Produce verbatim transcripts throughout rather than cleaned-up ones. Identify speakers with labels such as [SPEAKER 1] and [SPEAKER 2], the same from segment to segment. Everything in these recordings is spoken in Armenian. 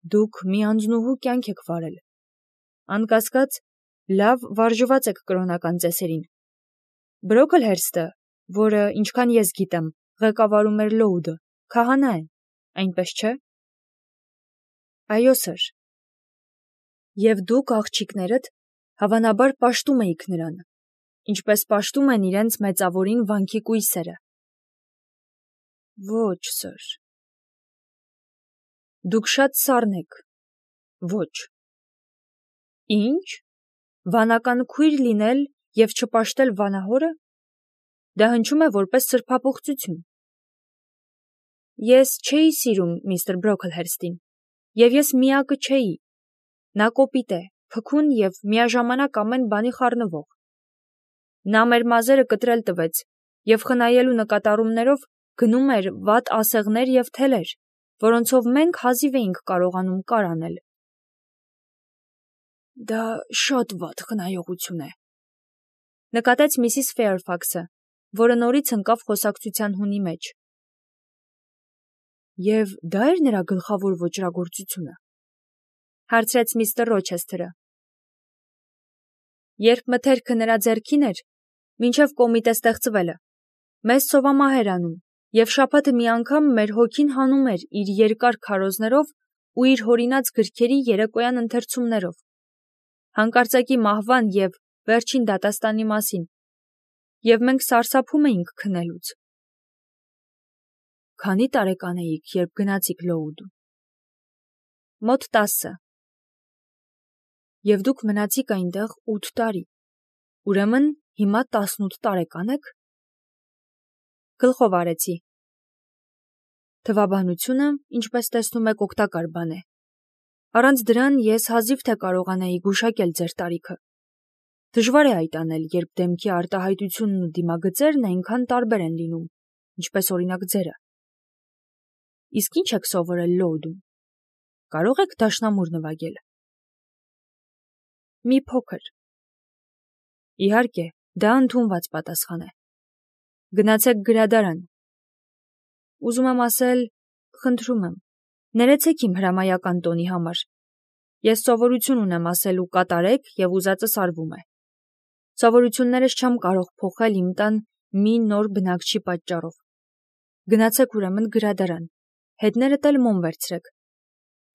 [SPEAKER 1] Դուք մի անձնուհու կյանք եք վարել։ Անկասկած, լավ վարժված եք կրոնական ծեսերին։ Բրոքլհերստը, որը, ինչքան ես գիտեմ, ղեկավարում էր Լոուդը, քահանա է, այնպես չէ՞։ Այո, սըր։ Եվ դուք աղջիկներդ հավանաբար պաշտում էիք նրան, ինչպես պաշտում են իրենց մեծավորին վանքի կույսերը։ Ոչ, սըր։ Դուք շատ սառն եք։ Ոչ։ Ինչ։ Վանական քույր լինել և չպաշտել վանահորը։ Դա հնչում է որպես սրբապղծություն։ Ես չէի սիրում միստր Բրոքլհերստին, և ես միակը չէի։ Նա կոպիտ է, փքուն և միաժամանակ ամեն բանի խառնվող։ Նա մեր մազերը կտրել տվեց և խնայելու նկատառումներով գնում էր վատ ասեղներ և թելեր, որոնցով մենք հազիվ էինք կարողանում կար անել։ Դա շատ վատ խնայողություն է, նկատեց միսիս Ֆեյրֆաքսը, որը նորից ընկավ խոսակցության հունի մեջ։ Եվ դա էր նրա գլխավոր ոճրագործությունը, հարցրեց միստր Ռոչեսթերը։ Երբ մթերքը նրա ձեռքին էր, մինչև կոմիտե ստեղծվելը, մեզ ցովամահ էր անում, և շաբաթը մի անգամ մեր հոգին հանում էր իր երկար քարոզներով ու իր հորինած գրքերի երեկոյան ընթերցումներով, հանկարծակի մահվան և վերջին դատաստանի մասին, և մենք սարսափում էինք քնելուց։ Քանի տարեկան էիք, երբ գնացիք Լոուդ։ Մոտ տասը։ Եվ դուք մնացիք այնտեղ ութ տարի, ուրեմն հիմա տասնութ տարեկան եք։ Գլխով արեցի։ Թվաբանությունը, ինչպես տեսնում եք, օգտակար բան է։ Առանց դրան ես հազիվ թե կարողանայի գուշակել ձեր տարիքը։ Դժվար է այդ անել, երբ դեմքի արտահայտությունն ու դիմագծերն այնքան տարբեր են լինում, ինչպես օրինակ ձերը։ Իսկ ինչ եք սովորել Լոուդում։ Կարող եք դաշնամուր նվագել։ Մի փոքր։ Իհարկե, դա ընդունված պատասխան է։ Գնացեք գրադարան։ Ուզում եմ ասել, խնդրում եմ, ներեցեք իմ հրամայական տոնի համար։ Ես սովորություն ունեմ ասելու կատարեք և ուզածս արվում է։ Սովորություններս չեմ կարող փոխել իմ տան մի նոր բնակչի պատճառով։ Գնացեք ուրեմն գրադարան, հետներդ էլ մոմ վերցրեք։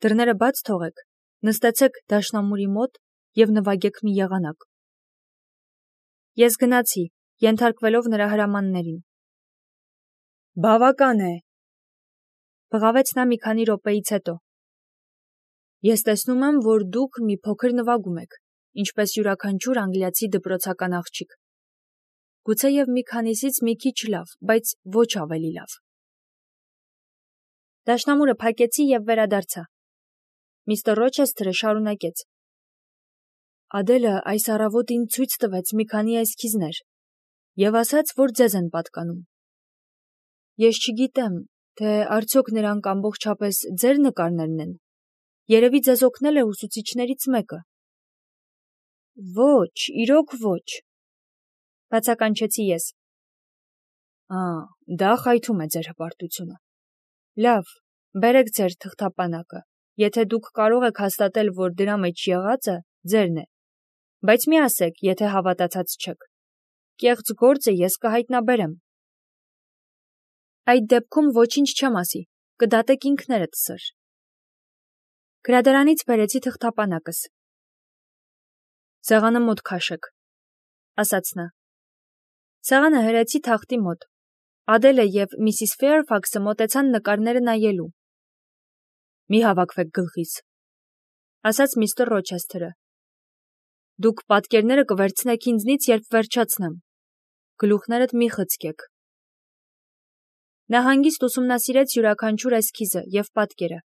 [SPEAKER 1] Դռները բաց թողեք, նստեցեք դաշնամուրի մոտ և նվագեք մի եղանակ։ Ես գնացի, ենթարկվելով նրա հրամաններին։ Բավական է, բղավեց նա մի քանի րոպեից հետո։ Ես տեսնում եմ, որ դուք մի փոքր նվագում եք, ինչպես յուրաքանչյուր անգլիացի դպրոցական աղջիկ։ Գուցեև մի քանիսից մի քիչ լավ, բայց ոչ ավելի լավ։ Դաշնամուրը փակեցի և վերադարձա։ Միստր Ռոչեսթերը շարունակեց. Ադելը այս առավոտ ինձ ցույց տվեց մի քանի էսքիզներ և ասաց, որ ձեզ են պատկանում։ Ես չգիտեմ, թե արդյոք նրանք ամբողջապես ձեր նկարներն են։ Երևի ձեզ օգնել է ուսուցիչներից մեկը։ Ոչ, իրոք ոչ, բացականչեցի ես։ Ա, դա խայթում է ձեր հպարտությունը։ Լավ, բերեք ձեր թղթապանակը, եթե դուք կարող եք հաստատել, որ դրա մեջ եղածը ձերն է, բայց մի ասեք, եթե հավատացած չեք։ Կեղծ գործը ես կհայտնաբերեմ։ Այդ դեպքում ոչինչ չեմ ասի, կդատեք ինքներդ, սըր։ Գրադարանից բերեցի թղթապանակս։ Սեղանը մոտ քաշեք, ասաց նա։ Սեղանը հրեցի թախտի մոտ։ Ադելը և միսիս Ֆեյրֆաքսը մոտեցան նկարները նայելու։ Մի հավաքվեք գլխիս, ասաց միստր Ռոչեսթերը։ Դուք պատկերները կվերցնեք ինձնից, երբ վերջացնեմ։ Գլուխներդ մի խցկեք։ Նա հանգիստ ուսումնասիրեց յուրաքանչյուր էսքիզը և պատկերը։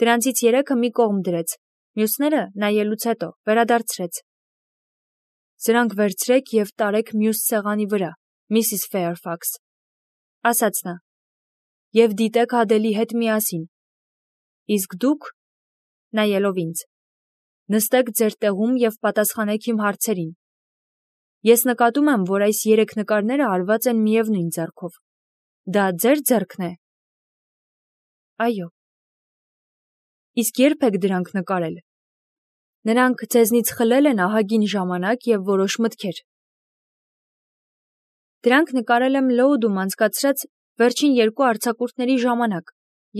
[SPEAKER 1] Դրանցից երեքը մի կողմ դրեց, մյուսները, նայելուց հետո, վերադարձրեց։ Սրանք վերցրեք և տարեք մյուս սեղանի վրա, միսիս Ֆեյրֆաքս, ասաց նա, և դիտեք Ադելի հետ միասին։ Իսկ դուք, նայելով ինձ, նստեք ձեր տեղում և պատասխանեք իմ հարցերին։ Ես նկատում եմ, որ այս երեք նկարները արված են միևնույն ձեռքով։ Դա ձեր ձեռքն է։ Այո։ Իսկ երբ եք դրանք նկարել։ Նրանք ձեզնից խլել են ահագին ժամանակ և որոշ մտքեր։ Դրանք նկարել եմ Լոուդում անցկացրած վերջին երկու արձակուրդների ժամանակ,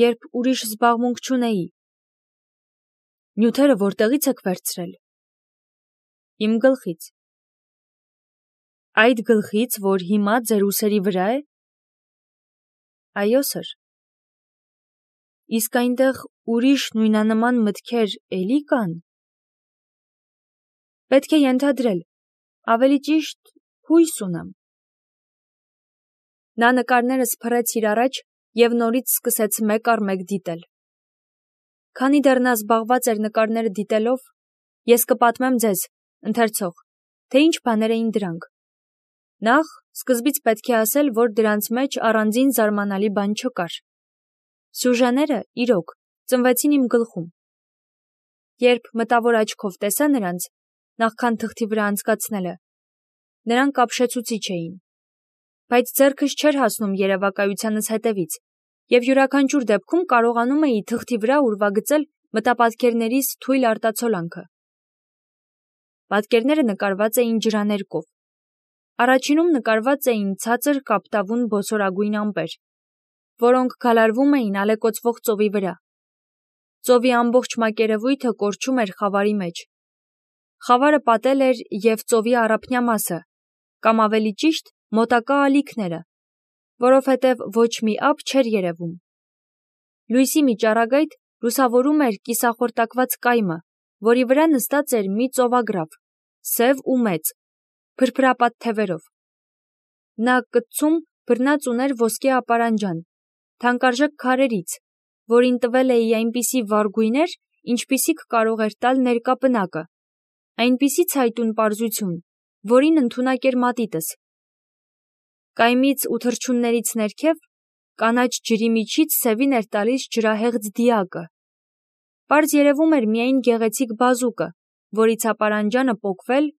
[SPEAKER 1] երբ ուրիշ զբաղմունք չունեի։ Նյութերը որտեղից եք վերցրել։ Իմ գլխից։ Այդ գլխից, որ հիմա ձեր ուսերի վրա է։ Այո, սըր։ Իսկ այնտեղ ուրիշ նույնանման մտքեր էլի կան։ Պետք է ենթադրել, ավելի ճիշտ հույս ունեմ։ Նա նկարներս փռեց իր առաջ և նորից սկսեց մեկ առ մեկ դիտել։ Քանի դեռ նա զբաղված էր նկարները դիտելով, ես կպատմեմ ձեզ, ընթերցող, թե ինչ բաներ էին դրանք։ Նախ, սկզբից պետք է ասել, որ դրանց մեջ առանձին զարմանալի բան չկար։ Սյուժեները, իրոք, ծնվեցին իմ գլխում։ Երբ մտավոր աչքով տեսա նրանց, նախքան թղթի վրա անցկացնելը, նրանք ապշեցուցիչ էին, բայց ձեռքս չէր հասնում երևակայությանս հետևից, և յուրաքանչյուր դեպքում կարողանում էի թղթի վրա ուրվագծել մտապատկերներիս թույլ արտացոլանքը։ Պատկերները նկարված էին ջրաներկով։ Առաջինում նկարված էին ցածր կապտավուն բոցորագույն ամպեր, որոնք գալարվում էին ալեկոծվող ծովի վրա։ Ծովի ամբողջ մակերևույթը կորչում էր խավարի մեջ։ Խավարը պատել էր և ծովի առափնյա մասը, կամ ավելի ճիշտ, մոտակա ալիքները, որովհետև ոչ մի ափ չէր երևում։ Լույսի մի ճառագայթ լուսավորում էր կիսախորտակված կայմը, որի վրա նստած էր մի ծովագրավ, սև ու մեծ, փրփրապատ թևերով։ Նա կտցում բռնած ուներ ոսկե ապարանջան, թանկարժեք քարերից, որին տվել էի այնպիսի վառ գույներ, ինչպիսիք կարող էր տալ ներկա պնակը, այնպիսի ցայտուն պարզություն, որին ընդունակ էր մատիտս։ Կայմից ու թռչուններից ներքև կանաչ ջրի միջից սևին էր տալիս ջրահեղձ դիակը։ Պարզ երևում էր միայն գեղեցիկ բազուկը, որից ապարանջանը պոկվել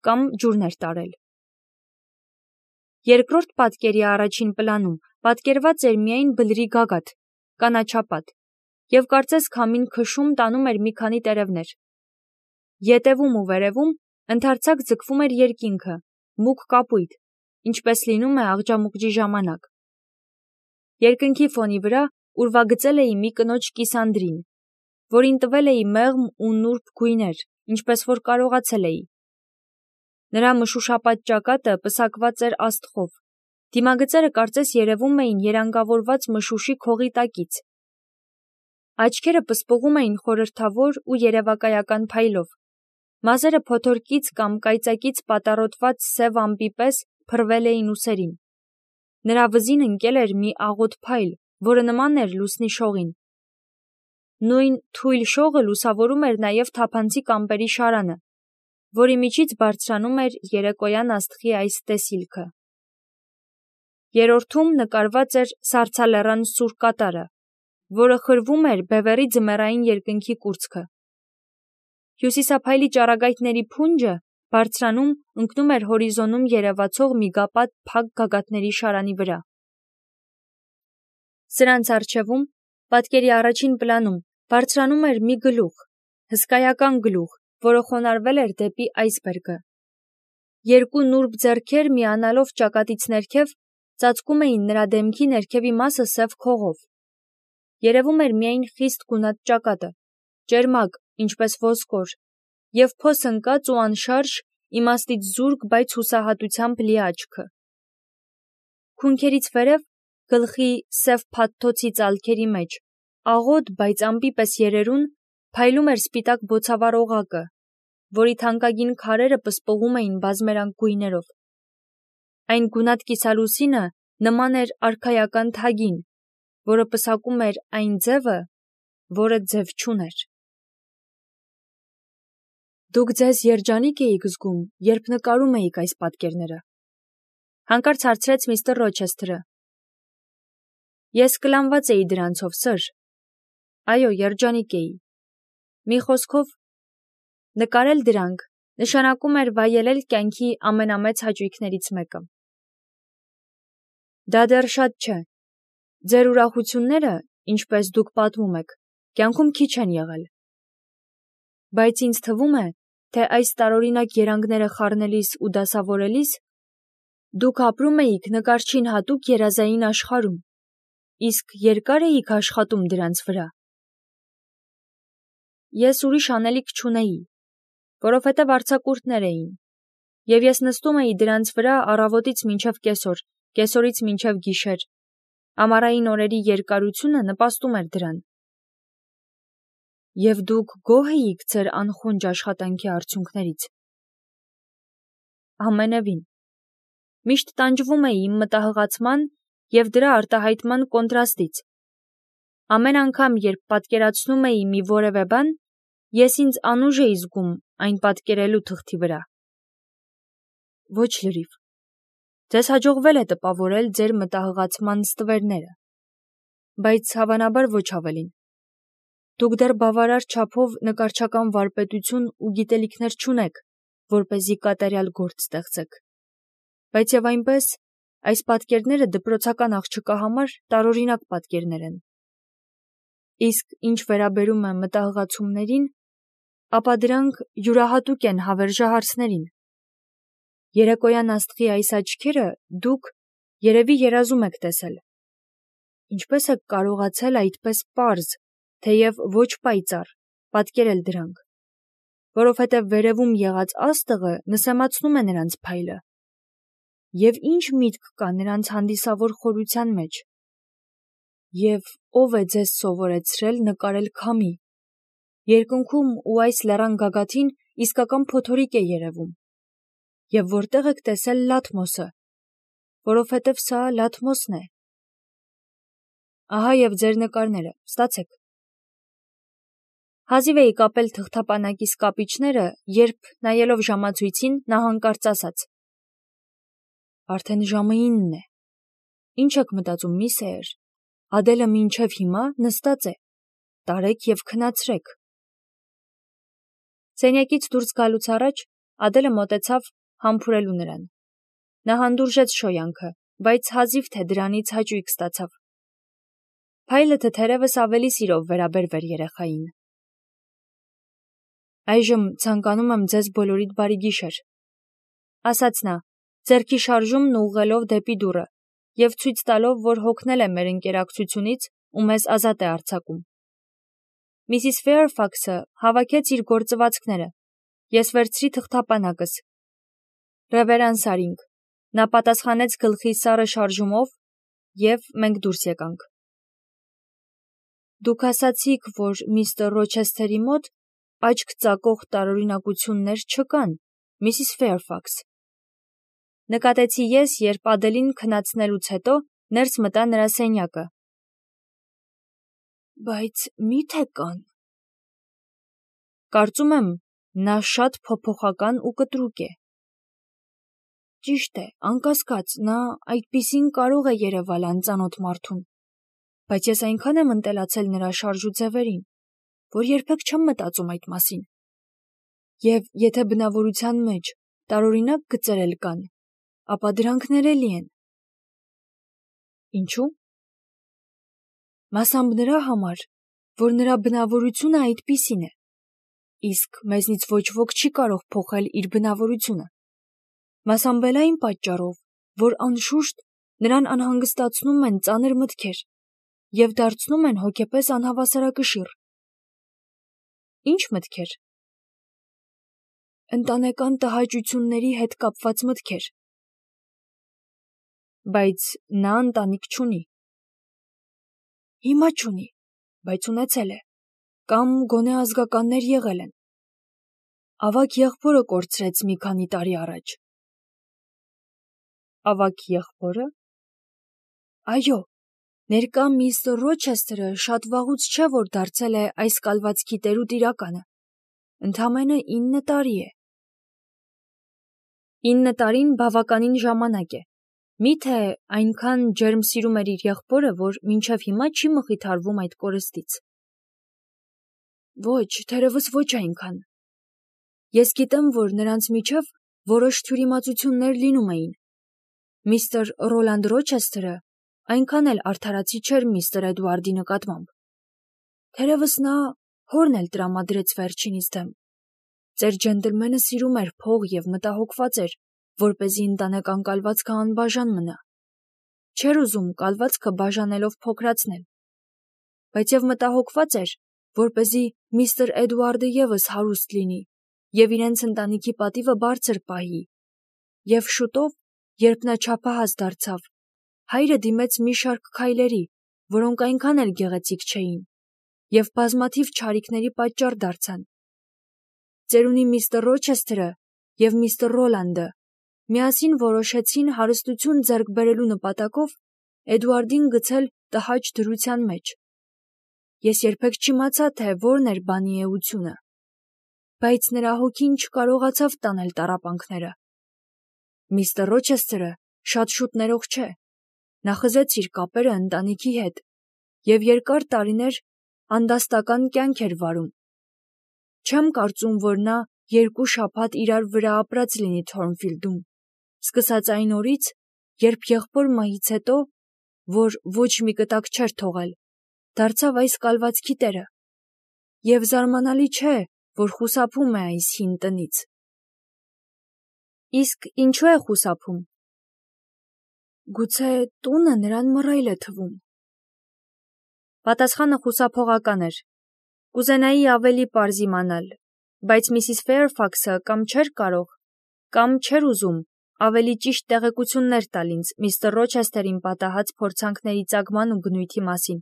[SPEAKER 1] կամ ջուրն էր տարել։ Երկրորդ պատկերի առաջին պլանում պատկերված էր միայն բլրի գագաթ, կանաչապատ, և կարծես քամին քշում տանում էր մի քանի տերևներ։ Ետևում ու վերևում ընդարձակ ձգվում էր երկինքը, մուգ կապույտ, ինչպես լինում է աղջամուղջի ժամանակ։ Երկնքի ֆոնի վրա ուրվագծել էի մի կնոջ կիսանդրին, որին տվել էի մեղմ ու նուրբ գույներ, ինչպես որ կարողացել էի։ Նրա մշուշապատ ճակատը պսակված էր աստղով, դիմագծերը կարծես երևում էին երանգավորված մշուշի քողի տակից։ Աչքերը պսպղում էին խորհրդավոր ու երևակայական փայլով, մազերը փոթորկից կամ կայծակից պատառոտված սև ամպի պես փռվել էին ուսերին։ Նրա վզին ընկել էր մի աղոտ փայլ, որը նման էր լուսնի շողին։ Նույն թույլ շողը լուսավորում էր նաև թափանցիկ ամպերի շարանը, որի միջից բարձրանում էր երեկոյան աստղի այս տեսիլքը։ Երրորդում նկարված էր սառցալեռան սուր կատարը, որը խրվում էր բևեռի ձմեռային երկնքի կուրծքը։ Հյուսիսափայլի ճառագայթների փունջը բարձրանում ընկնում էր հորիզոնում երևացող միգապատ փակ գագաթների շարանի վրա։ Սրանց առջևում, պատկերի առաջին պլանում, բարձրանում էր մի գլուխ, հսկայական գլուխ, որը խոնարհվել էր դեպի այսբերգը։ Երկու նուրբ ձեռքեր միանալով ճակատից ներքև ծածկում էին նրա դեմքի ներքևի մասը սև քողով։ Երևում էր միայն խիստ գունատ ճակատը, ճերմակ, ինչպես ոսկոր, և փոս ընկած ու անշարժ, իմաստից զուրկ, բայց հուսահատությամբ լի աչքը։ Քունքերից վերև, գլխի սև փաթթոցի ծալքերի մեջ, աղոտ, բայց ամպի պես երերուն, փայլում էր սպիտակ բոցավառ օղակը, որի թանկագին քարերը պսպղում էին բազմերանգ գույներով։ Այն գունատ կիսալուսինը նման էր արքայական թագին, որը պսակում էր այն ձևը, որը ձև չուներ։ Դուք ձեզ երջանիկ էիք զգում, երբ նկարում էիք այս պատկերները։ Հանկարծ հարցրեց միստր Ռոչեսթերը։ Ես կլանված էի դրանցով, սըր։ Այո, երջանիկ էի։ Մի խոսքով, նկարել դրանք նշանակում էր վայելել կյանքի ամենամեծ հաճույքներից մեկը։ Դա դեռ շատ չէ։ Ձեր ուրախությունները, ինչպես դուք պատմում եք, կյանքում քիչ են եղել։ Բայց ինձ թվում է, թե այս տարօրինակ երանգները խառնելիս ու դասավորելիս դուք ապրում էիք նկարչին հատուկ երազային աշխարհում, իսկ երկար էիք աշխատում դրանց վրա։ Ես ուրիշ անելիք չունեի, որովհետև արձակուրդներ էին, և ես նստում էի դրանց վրա առավոտից մինչև կեսօր, կեսօրից մինչև գիշեր, ամառային օրերի երկարությունը նպաստում էր դրան։ Եվ դուք գոհ էիք ձեր անխոնջ աշխատանքի արդյունքներից։ Ամենևին։ Միշտ տանջվում էի իմ մտահղացման և դրա արտահայտման կոնտրաստից։ Ամեն անգամ, երբ պատկերացնում էի մի որևէ բան, ես ինձ անուժ էի զգում այն պատկերելու թղթի վրա։ Ոչ լրիվ։ Ձեզ հաջողվել է տպավորել ձեր մտահղացման ստվերները, բայց հավանաբար ոչ ավելին։ Դուք դեռ բավարար չափով նկարչական վարպետություն ու գիտելիքներ չունեք, որպեսզի կատարյալ գործ ստեղծեք։ Բայց և այնպես, այս պատկերները դպրոցական աղջկա համար տարօրինակ պատկերներ են։ Իսկ ինչ վերաբերում է մտահղացումներին, ապա դրանք յուրահատուկ են հավերժահարցներին։ Երեկոյան աստղի այս աչքերը դուք երևի երազում եք տեսել։ Ինչպես եք կարողացել այդպես պարզ, թեև ոչ պայծառ, պատկերել դրանք, որովհետև վերևում եղած աստղը նսեմացնում է նրանց փայլը։ Եվ ինչ միտք կա նրանց հանդիսավոր խորության մեջ։ Եվ ով է ձեզ սովորեցրել նկարել քամի։ Երկնքում ու այս լեռան գագաթին իսկական փոթորիկ է երևում։ Եվ որտեղ եք տեսել Լաթմոսը, որովհետև սա Լաթմոսն է։ Ահա և ձեր նկարները, ստացեք։ Հազիվ էի կապել թղթապանակիս կապիչները, երբ, նայելով ժամացույցին, նա հանկարծ ասաց. Արդեն ժամը ինն է։ Ինչ եք մտածում, մի Սեյր, Ադելը մինչև հիմա նստած է, տարեք և քնացրեք։ Սենյակից դուրս գալուց առաջ Ադելը մոտեցավ համբուրելու նրան։ Նա հանդուրժեց շոյանքը, բայց հազիվ թե դրանից հաճույք ստացավ։ Փայլը թերևս ավելի սիրով վերաբերվեր երեխային։ Այժմ ցանկանում եմ ձեզ բոլորիդ բարի գիշեր, ասաց նա, ձեռքի շարժումն ուղղելով դեպի դուռը և ցույց տալով, որ հոգնել է մեր ընկերակցությունից ու մեզ ազատ է արձակում։ Միսիս Ֆեյրֆաքսը հավաքեց իր գործվածքները, ես վերցրի թղթապանակս։ Ռևերանս արինք, նա պատասխանեց գլխի սառը շարժումով, և մենք դուրս եկանք։ Դուք ասացիք, որ միստր Ռոչեսթերի մոտ աչք ծակող տարօրինակություններ չկան, միսիս Ֆեյրֆաքս։ Նկատեցի ես, երբ Ադելին քնացնելուց հետո ներս մտա նրա սենյակը։ Բայց մի՞թե կան։ Կարծում եմ, նա շատ փոփոխական ու կտրուկ է։ Ճիշտ է, անկասկած, նա այդպիսին կարող է երևալ անծանոթ մարդուն, բայց ես այնքան եմ ընտելացել նրա շարժուձևերին, որ երբեք չեմ մտածում այդ մասին։ Եվ եթե բնավորության մեջ տարօրինակ գծեր էլ կան, ապա դրանք ներելի են։ Ինչու՞։ Մասամբ նրա համար, որ նրա բնավորությունը այդպիսին է, իսկ մեզնից ոչ ոք չի կարող փոխել իր բնավորությունը։ Մասամբ էլ այն պատճառով, որ անշուշտ նրան անհանգստացնում են ծանր մտքեր և դարձնում են հոգեպես անհավասարակշիռ։ Ինչ մտքեր։ Ընտանեկան տհաճությունների հետ կապված մտքեր։ Բայց նա ընտանիք չունի։ Հիմա չունի, բայց ունեցել է, կամ գոնե ազգականներ եղել են։ Ավագ եղբորը կորցրեց մի քանի տարի առաջ։ Ավագ եղբորը։ Այո, ներկա միստր Ռոչեսթերը շատ վաղուց չէ, որ դարձել է այս կալվածքի տեր ու տիրականը։ Ընդամենը ինը տարի է։ Ինը տարին բավականին ժամանակ է։ Մի՞թե այնքան ջերմ սիրում էր իր եղբորը, որ մինչև հիմա չի մխիթարվում այդ կորստից։ Ոչ, թերևս ոչ այնքան։ Ես գիտեմ, որ նրանց միջև որոշ թյուրիմացություններ լինում էին։ Միստր Ռոլանդ Ռոչեսթերը այնքան էլ արդարացի չէր միստր Էդուարդի նկատմամբ։ Թերևս նա հորն էլ տրամադրեց վերջինիս դեմ։ Ձեր ջենտլմենը սիրում էր փող և մտահոգված էր, որպեսզի ընտանեկան կալվածքը անբաժան մնա։ Չէր ուզում կալվածքը բաժանելով փոքրացնել, բայց և մտահոգված էր, որպեսզի միստր Էդուարդը ևս հարուստ լինի և իրենց ընտանիքի պատիվը բարձր պահի։ Եվ շուտով, երբ նա չափահաս դարձավ, հայրը դիմեց մի շարք քայլերի, որոնք այնքան էլ գեղեցիկ չէին, և բազմաթիվ չարիքների պատճառ դարձան։ Ծերունի միստր Ռոչեսթերը և միստր Ռոլանդը միասին որոշեցին հարստություն ձեռք բերելու նպատակով Էդուարդին գցել տհաճ դրության մեջ։ Ես երբեք չիմացա, թե որն էր բանի էությունը, բայց նրա հոգին չկարողացավ տանել տառապանքները։ Միստր Ռոչեսթերը շատ շուտ ներող չէ, նա խզեց իր կապերը ընտանիքի հետ և երկար տարիներ անդաստական կյանք էր վարում։ Չեմ կարծում, որ նա երկու շաբաթ իրար վրա ապրած լինի Թորնֆիլդում, սկսած այն օրից, երբ եղբոր մահից հետո, որ ոչ մի կտակ չէր թողել, դարձավ այս կալվածքի տերը, և զարմանալի չէ, որ խուսափում է այս հին տնից։ Իսկ ինչու է խուսափում։ Գուցե տունը նրան մռայլ է թվում։ Պատասխանը խուսափողական էր։ Կուզենայի ավելի պարզ իմանալ, բայց միսիս Ֆեյրֆաքսը կամ չէր կարող, կամ չէր ուզում ավելի ճիշտ տեղեկություններ տալ ինձ միստր Ռոչեսթերին պատահած փորձանքների ծագման ու բնույթի մասին։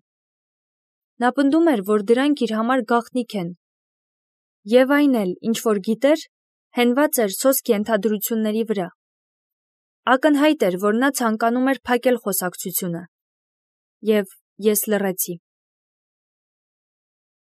[SPEAKER 1] Նա պնդում էր, որ դրանք իր համար գաղտնիք են, և այն էլ, ինչ որ գիտեր, հենված էր սոսկ ենթադրությունների վրա։ Ակնհայտ էր, որ նա ցանկանում էր փակել խոսակցությունը։ Եվ ես լռեցի։